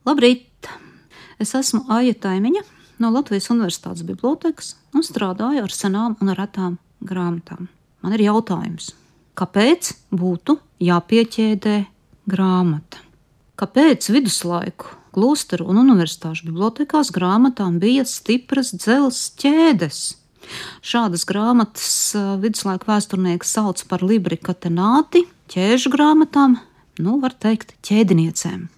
Labrīt! Es esmu Aija Taimiņa no Latvijas Universitātes bibliotekas un strādāju ar senām un retām grāmatām. Man ir jautājums, kāpēc būtu jāpieķēdē grāmata? Kāpēc viduslaiku, klosteru un universitāšu bibliotekās grāmatām bija stipras dzelzs ķēdes? Šādas grāmatas viduslaiku vēsturnieki sauc par libri catenati, ķēžu grāmatām, var teikt, ķēdiniecēm.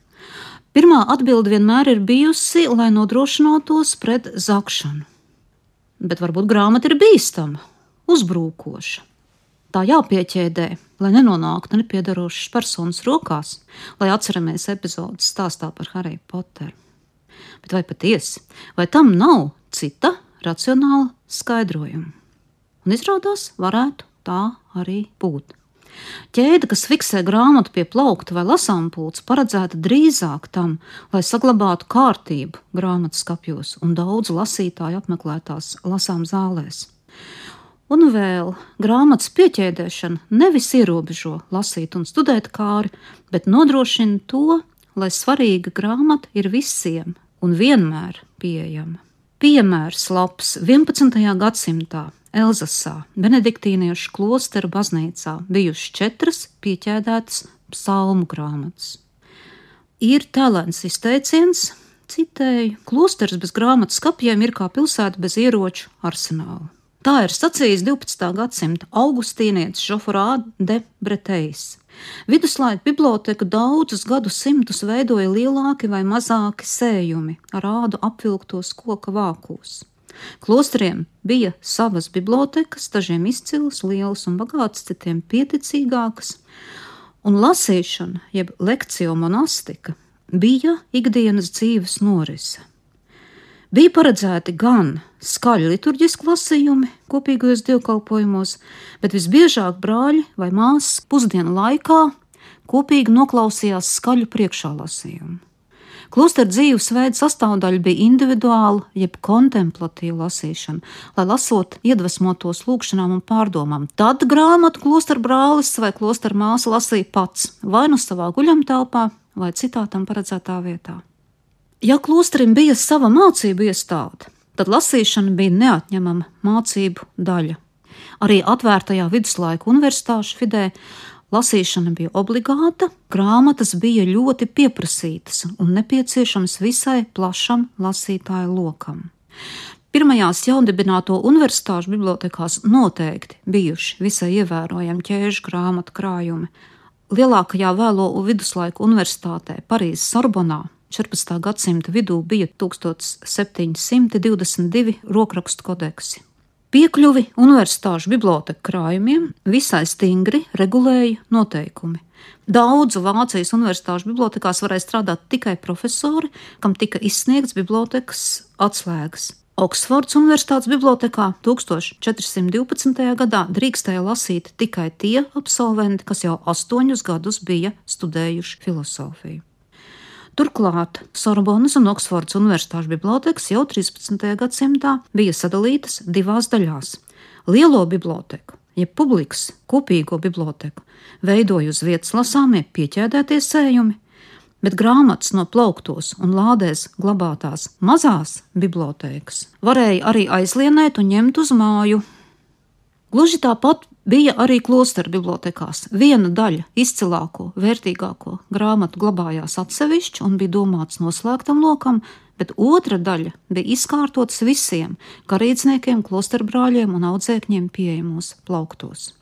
Pirmā atbilde vienmēr ir bijusi, lai nodrošinātos pret zakšanu. Bet varbūt grāmata ir bīstama, uzbrūkoša. Tā jāpieķēdē, lai nenonāktu nepiedarošas personas rokās, lai atceramies epizodes stāstā par Hariju Poteru. Bet vai patiesi, vai tam nav cita racionāla skaidrojuma? Un izrādās, varētu tā arī būt. Ķēde, kas fiksē grāmatu pie plaukta vai lasāmpults, paredzēta drīzāk tam, lai saglabātu kārtību grāmatas skapjos un daudzu lasītāju apmeklētās lasām zālēs. Un vēl grāmatas pieķēdēšana nevis ierobežo lasīt un studēt kāri, bet nodrošina to, lai svarīga grāmata ir visiem un vienmēr pieejama. Piemērs labs 11. gadsimtā Elzasā, benediktīniešu klosteru baznīcā, bijušas 4 pieķēdētas psalmu grāmatas. Ir talants izteiciens, citēju, klosters bez grāmatas skapjiem ir kā pilsēta bez ieroču arsenāla. Tā ir sacījis 12. gadsimta augustīnietis Joffroy de Breteuils. Viduslaiku biblioteka daudzus gadsimtus veidoja lielāki vai mazāki sējumi ar ādu apvilktos koka vākos. Klosteriem bija savas bibliotekas, dažiem izcilas, lielas un bagātas, citiem pieticīgākas, un lasīšana, jeb lekcio monastika, bija ikdienas dzīves norise. Bija paredzēti gan skaļi liturģiski lasījumi kopīgajos dievkalpojumos, bet visbiežāk brāļi vai māsas pusdienu laikā kopīgi noklausījās skaļu priekšālasījumu. Klostera dzīvesveida sastāvdaļa bija individuāla, jeb kontemplatīva lasīšana, lai lasot iedvesmotos lūgšanām un pārdomām. Tad grāmatu klostera brālis vai klostera māsa lasīja pats, vai nu savā guļamtelpā, vai citā tam paredzētā vietā. Ja klosterim bija sava mācību iestāde, tad lasīšana bija neatņemama mācību daļa. Arī atvērtajā viduslaiku universitāšu vidē lasīšana bija obligāta, grāmatas bija ļoti pieprasītas un nepieciešamas visai plašam lasītāju lokam. Pirmajās jaundibināto universitāšu bibliotekās noteikti bijuši visai ievērojami ķēžu grāmatu krājumi. Lielākajā vēlo viduslaiku universitātē Parīzes Sorbonā 14. gadsimta vidū bija 1722 rokrakstu kodeksi. Piekļuvi universitāšu biblioteka krājumiem visai stingri regulēja noteikumi. Daudzu Vācijas universitāšu bibliotekās varēja strādāt tikai profesori, kam tika izsniegts bibliotekas atslēgas. Oksfords universitātes bibliotekā 1412. gadā drīkstēja lasīt tikai tie absolventi, kas jau 8 gadus bija studējuši filosofiju. Turklāt Sorbonas un Oksfordas universitāšu bibliotekas jau 13. gadsimtā bija sadalītas 2 daļās. Lielo biblioteku, jeb publikas kopīgo biblioteku, veidoja uz vietas lasāmie pieķēdētie sējumi, bet grāmatas no plauktos un lādēs glabātās mazās bibliotekas varēja arī aizlienēt un ņemt uz māju. Gluži tāpat bija arī klosteru bibliotekās. Viena daļa izcilāko, vērtīgāko grāmatu glabājās atsevišķi un bija domāts noslēgtam lokam, bet otra daļa bija izkārtotas visiem garīdzniekiem, klosteru brāļiem un audzēkņiem pieejamos plauktos.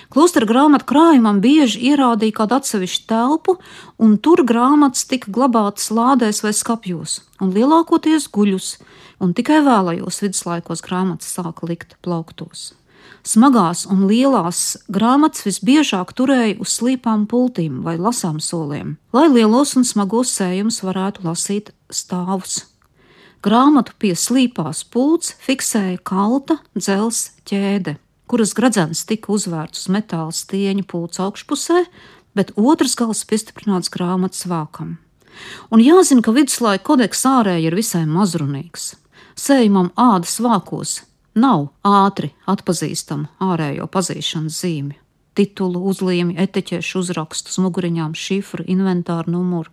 Klosteru grāmatu krājumam bieži ierādīja kādu atsevišķu telpu, un tur grāmatas tika glabātas lādēs vai skapjos, un lielākoties guļus, un tikai vēlajos viduslaikos grāmatas sāka likt plauktos. Smagās un lielās grāmatas visbiežāk turēja uz slīpām pultīm vai lasām soliem, lai lielos un smagos sējumus varētu lasīt stāvus. Grāmatu pie slīpās pults fiksēja kalta dzelzs ķēde, kuras gradzens tika uzvērts uz metāla stieņa pults augšpusē, bet otrs gals piestiprināts grāmatas vākam. Un jāzina, ka viduslaika kodeks ārēji ir visai mazrunīgs. Sējumam ādas vākos nav ātri atpazīstama ārējo pazīšanas zīmju. Titulu, uzlīmi, etiķešu uzrakstus, muguriņām, šifru, inventāru numuru.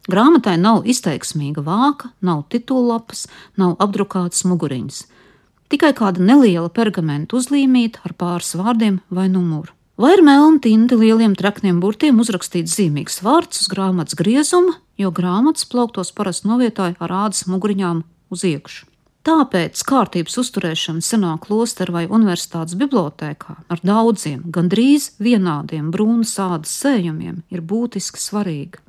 Grāmatai nav izteiksmīga vāka, nav titullapas, nav apdrukātas muguriņas. Tikai kāda neliela pergamenta uzlīmīta ar pāris vārdiem vai numuru. Vai ir melna tinta lieliem trakniem burtiem uzrakstīts zīmīgs vārds uz grāmatas griezuma, jo grāmatas plauktos parasti novietoja ar ādas muguriņām uz iekšu. Tāpēc kārtības uzturēšana senā klostera vai universitātes bibliotēkā ar daudziem, gandrīz vienādiem brūnas ādas sējumiem ir būtiski svarīga.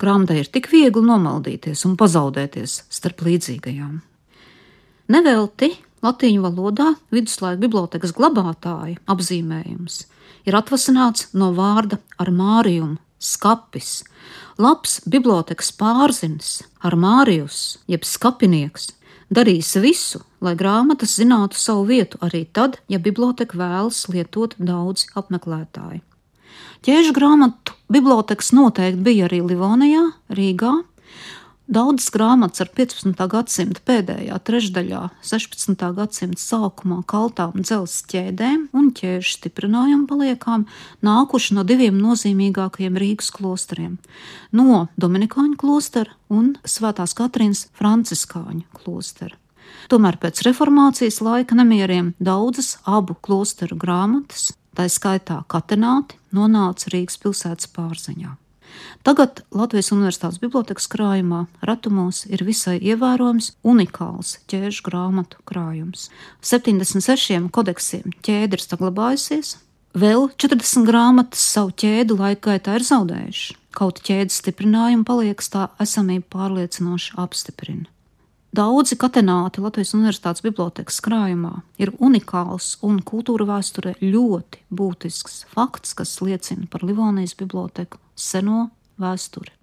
Grāmatai ir tik viegli nomaldīties un pazaudēties starp līdzīgajām. Nevelti latīņu valodā viduslaiku bibliotēkas glabātāja apzīmējums ir atvasināts no vārda armārium, skapis. Labs bibliotēkas pārzinis, armārijus, jeb skapinieks, darīs visu, lai grāmatas zinātu savu vietu arī tad, ja biblioteka vēlas lietot daudzi apmeklētāji. Ķēžu grāmatu bibliotekas noteikti bija arī Livonijā, Rīgā. Daudzas grāmatas ar 15. gadsimta pēdējā trešdaļā, 16. gadsimta sākumā kaltām dzelzs ķēdēm un ķēžu stiprinājumu paliekām nākuši no diviem nozīmīgākajiem Rīgas klosteriem – no Dominikāņu klostera un Svētās Katrīnas franciskāņu klostera. Tomēr pēc reformācijas laika nemieriem daudzas abu klosteru grāmatas, tā skaitā katenāti, nonāca Rīgas pilsētas pārziņā. Tagad Latvijas Universitātes bibliotekas krājumā retumos ir visai ievērojams unikāls ķēžu grāmatu krājums. 76 kodeksiem ķēde ir saglabājusies, vēl 40 grāmatas savu ķēdi laika gaitā ir zaudējuši, kaut ķēdes stiprinājumu paliekas tā esamību pārliecinoši apstiprina. Daudzi katenāti Latvijas Universitātes bibliotekas krājumā ir unikāls un kultūra vēsturē ļoti būtisks fakts, kas liecina par Livonijas biblioteku seno vēsturi.